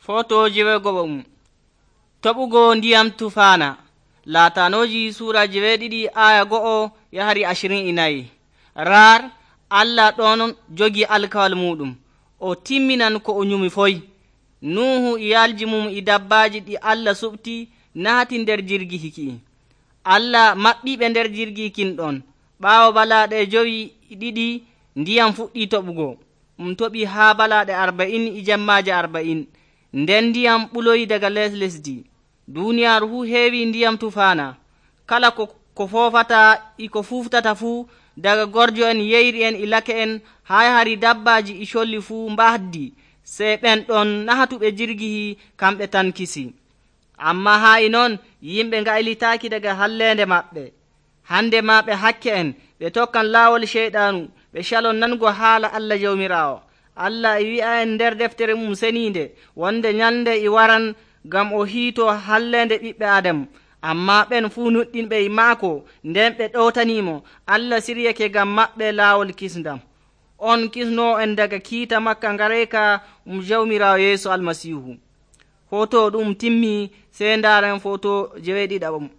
Foto jewego'o toɓugo ndiyam tufaana. Laatanooji suura 12 aya 1 yahari 24. Rar Allah ɗon jogi alkawal muɗum o timminan ko o nyumi foy. Nuhu iyalji mum e dabbaaji ɗi Allah suɓti nahati nder jirgi hiki. Allah maɓɓiɓe nder jirgi kin ɗon. Ɓaawo balaaɗe 2 ndiyam fuɗɗi toɓugo. Toɓi haa balaaɗe 40 e jemmaaje 40. Nden ndiyam ɓuloyi daga lesdi. Duuniyaaru fuu heewi ndiyam tufaana. Kala ko foofata e ko fuuftata fuu, daga gorjo en, yeyri en e lake en, haa yahari dabbaaji e colli fuu mbahdi. Sey ɓen ɗon nahatuɓe jirgi kamɓe tan kisi. Ammaa haa e non yimɓe ngaylitaaki daga halleende maɓɓe. Hande maa ɓe hakke en, ɓe tokkan laawol Ceyɗaanu, ɓe calon nango haala Allah Jawmiraawo. Allah e wi'a en nder deftere mum seniinde wonde nyalnde e waran ngam o hiitoo halleende ɓiɓɓe Aadam. Ammaa ɓen fuu nuɗɗinɓe e maako nden ɓe ɗowtaniimo, Allah siryake ngam maɓɓe laawol kisndam. On kisnoo en daga kiita makka ngareyka Jawmiraawo Yeesu Almasiihu. Foto ɗum timmi, sey ndaaren foto 17.